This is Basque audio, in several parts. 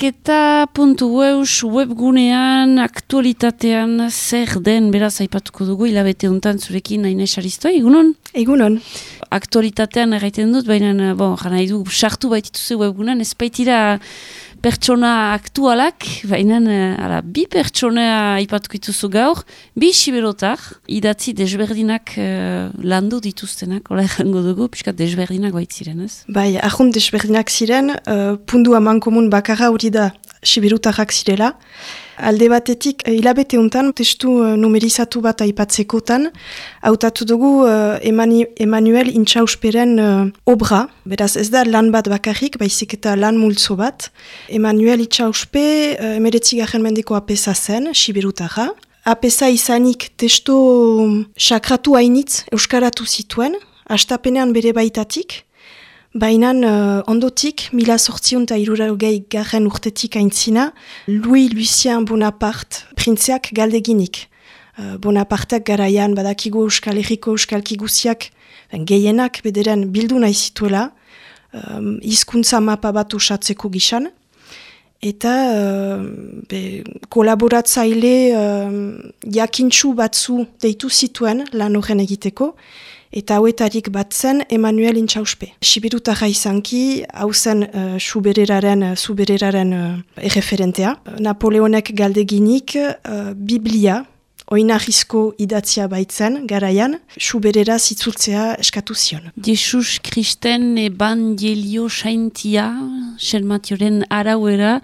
Bilketa.eus webgunean, aktualitatean zer den, beraz aipatuko dugu, hilabete hontan zurekin Aines Aristo, egunon? Egunon. Aktualitatean erraiten dut, baina, jana nahi du, sartu baitituze webgunean, ez baitira pertsona aktualak, baina bi pertsona aipatuko dituzu gaur, bi siberotar, idatzi desberdinak landu dituztenak, hola errango dugu, piskat desberdinak baitziren, ez? Bai, ahont desberdinak ziren, pundu amankomun bakarra hori da siberotarrak zirela. Alde batetik, hilabete hontan, testu numerizatu bat aipatzekotan, hautatu dugu Emmanuel Intxausperen obra, beraz ez da lan bat bakarrik, baizik eta lan multzo bat. Emmanuel Intxauspe, 19. mendeko apesa zen, siberotarra. Apesa izanik testu sakratu hainitz euskaratu zituen, hastapenean bere baitatik, baina ondotik, 1860 urtetik aintzina, Louis-Lucien Bonaparte printzeak galdeginik. Bonaparteak garaian badakigu Euskal Herriko euskalki guziak gehienak bederen bildu nahi zituela, hizkuntza mapa bat osatzeko gisan, eta kolaboratzaile jakintsu batzu deitu zituen lan horren egiteko, eta hauetarik bat zen Emmanuel Intxauspe. Siberutarra izanki, hau zen zubereraren erreferentea. Napoleonek galdeginik Biblia, oinarrizko idatzia baitzen, garaian, suberera zitzultzea eskatu zion. Jesus Kristen Evangelio Saintia, Xelmatioren arauera,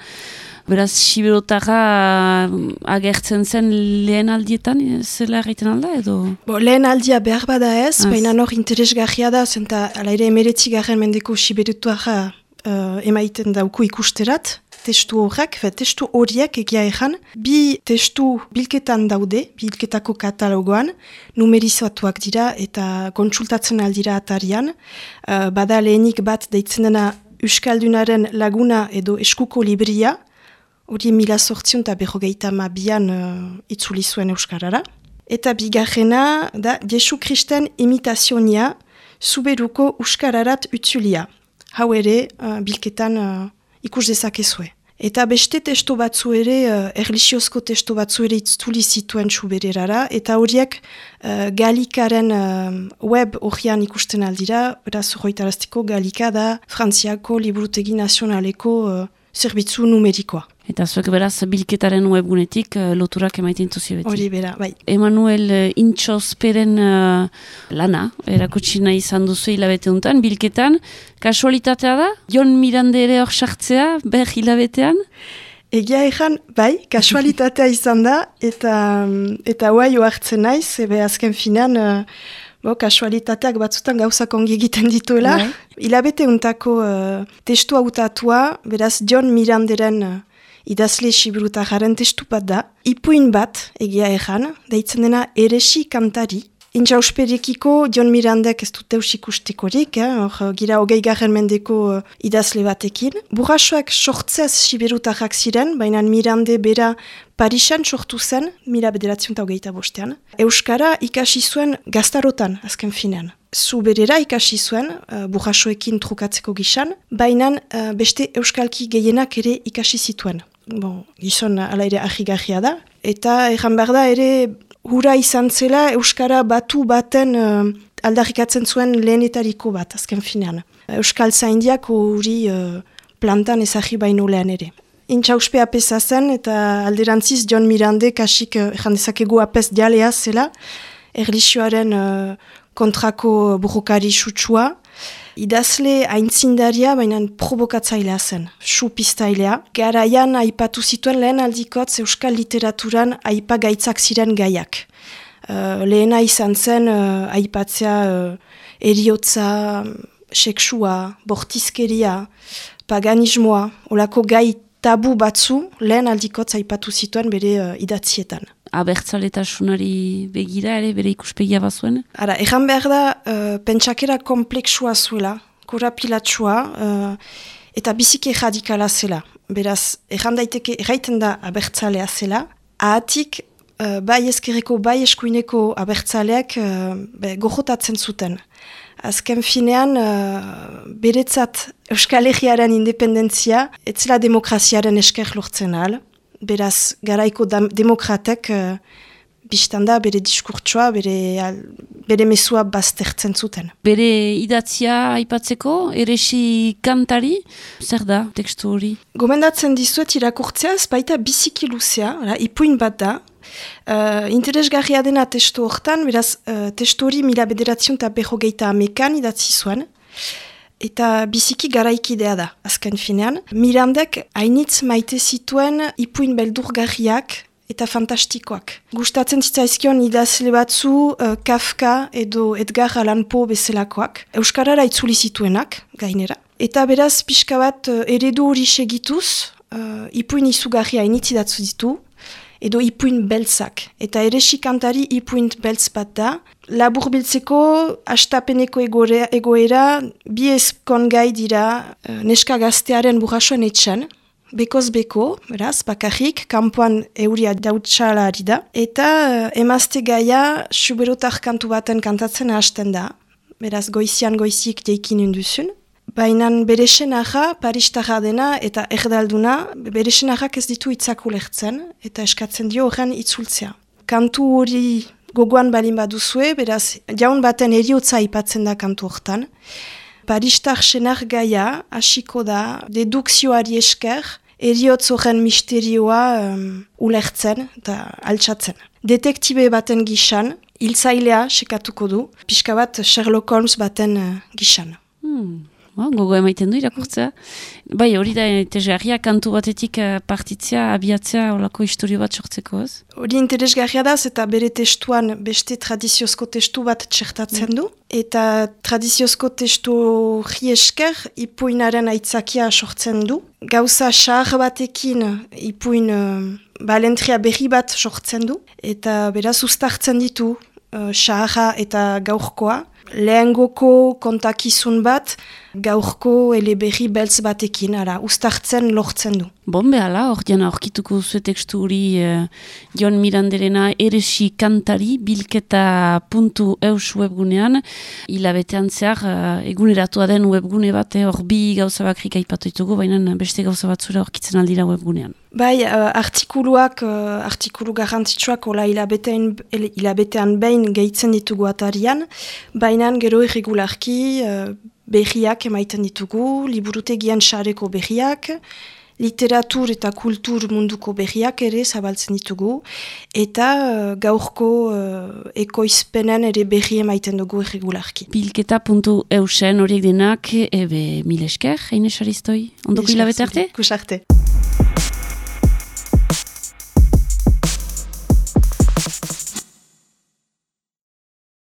beraz, siberotarra agertzen zen lehen aldietan, zela egiten alda edo? Lehen aldia behar bada ez, baina hor interesgarria da, zenta ala ere 19. mendeko siberotarra emaiten dauku ikusterat, testu horrek, testu horiek egia ezan, bi testu bilketan daude, bilketako katalogoan, numerizatuak dira eta kontsultatzen aldira atarian, bada lehenik bat deitzen dena Euskaldunaren laguna edo eskuko libria, hori 1852an itzuli zuen euskarara. Eta bigarrena da Jesu Kristen imitazionia zuberuko euskararat utzulia. Hau ere bilketan ikus dezakezue. Eta beste testo batzu ere, erlixiozko testo batzu ere itzuli zituen subererara, eta horiek Galikaren web horian ikusten aldira, beraz horretaraztiko Galika da Frantziako Liburutegi Nazionaleko zerbitzu numerikoa. Eta zuek beraz bilketaren webgunetik loturak emaiten tuzi beti. Hori bera, bai. Emmanuel Intxausperen lana, erakutsi nahi izan duzu hilabete honetan, bilketan. Kasualitatea da? Jon Mirande ere hor sartzea, ber hilabetean? Egia ezan, bai, kasualitatea izan da, eta huai oartzen naiz, ebe azken finan, kasualitateak batzutan gauzak ongi egiten dituela. Hilabete hontako testu hautatua, beraz Jon Miranderen idazle siberutarraren testu bat da. Ipuin bat, egia ezan, deitzen dena eresi kantari. Intxausperekiko Jon Mirandek ez dut eus ikustekorik, gira 20. mendeko idazle batekin. Burrasoak sortzez siberutarrak ziren, baina Mirande bera Parisan sortu zen, 1925. Euskara ikasi zuen gaztarotan, azken finean. Zuberera ikasi zuen, burrasoekin trukatzeko gisan, baina beste euskalki gehienak ere ikasi zituen. Gizon ala ere ahigarria da. Eta erran behar da ere hura izan zela euskara batu baten aldarrikatzen zuen lehenetariko bat, azken finean. Euskal zaindiak hori plantan ezagri baino lehen ere. Intxauspe apesa zen eta alderantziz Jon Mirande kasik dezakegu apes dialea zela, erlixioaren kontrako burrokari sutsua, idazle aintzindaria, baina provokatzailea zen, supiztailea. Garaian aipatu zituen lehen aldikotz euskal literaturan aipagaitzak ziren gaiak. Lehena izan zen aipatzea eriotza, seksua, bortizkeria, paganismoa, olako gai tabu batzu lehen aldikotz aipatu zituen bere idatzietan. Abertzaletasunari begira ere bere ikuspegia bazuen? Erran behar da, pentsakera kompleksua zuela, korapilatsua, eta biziki radikala zela. Beraz, erran daiteke, erraiten da abertzalea zela, ahatik bai ezkerreko, bai eskuineko abertzaleak gojotatzen zuten. Azken finean, beretzat Euskal Herriaren independentzia, etzela demokraziaren esker lortzen ahal. Beraz, garaiko demokratek biztanda bere diskurtsoa, bere mesua baztertzen zuten. Bere idatzia aipatzeko, eresi kantari, zer da tekstu hori? Gomendatzen dizuet irakurtzeaz, baita biziki luzea, ipuin bat da. Interesgarria dena testu hortan, beraz, testu hori 1950ean idatzi zuen, eta biziki garaikidea da, azken finean. Mirandek hainitz maite zituen ipuin beldurgarriak eta fantastikoak. Gustatzen zitzaizkion idazle batzu Kafka edo Edgar Allan Poe bezalakoak, euskarara itzuli zituenak, gainera. Eta beraz, pixka bat eredu hori segituz, ipuin izugarria hainitz idatzu ditu, edo ipuin beltzak. Eta eresi kantari ipuin beltz bat da. Labur biltzeko, hastapeneko egoera, bi ezkon gai dira neska gaztearen burrasoen etxan, bekoz beko, beraz, bakarrik, kanpoan euria dautxala ari da. Eta emazte gaia suberotar kantu baten kantatzen hasten da. Beraz, goizian goizik deikin unduzun. Baina bere senarra, paristarra dena eta erdalduna, bere senarrak ez ditu hitzak ulertzen eta eskatzen dio horren itzultzea. Kantu hori gogoan balin baduzue, beraz, jaun baten eriotza aipatzen da kantu hortan. Paristar senar gaia hasiko da dedukzioari esker, eriotz horren misterioa ulertzen eta altxatzen. Detektibe baten gisan, hiltzailea sekatuko du, pixka bat Sherlock Holmes baten gisan. Gogo emaiten du irakurtzea. Bai, hori da interesgarria kantu batetik partitzea, abiatzea, olako historio bat sortzeko, ez? Hori interesgarria da, eta bere testuan beste tradiziozko testu bat txertatzen du. Eta tradiziozko testu hori esker ipuinaren aitzakia sortzen du. Gauza xahar batekin ipuin balentria berri bat sortzen du. Eta beraz uztartzen ditu xaharra eta gaurkoa. Lehengoko kontakizun bat, gaurko eleberri beltz batekin, uztartzen lortzen du. Bon, behala, hor diana horkituko zuen tekstu hori Jon Miranderena eresi kantari bilketa.eus webgunean, hilabetean zehar eguneratua den webgune bat, hor bi gauza bakrik aipatu ditugu, baina beste gauza batzura horkitzen aldira webgunean. Bai, artikulu garrantzitsuak ola hilabetean behin gehitzen ditugu atarian, baina gero irregularki berriak emaiten ditugu, liburutegian sareko berriak, literatur eta kultur munduko berriak ere zabaltzen ditugu, eta gaurko ekoizpenen ere berri emaiten dugu irregularki. Bilketa.eusen horiek denak, mil esker, Haine Saristoi, ondoko hilabete arte? Kus arte.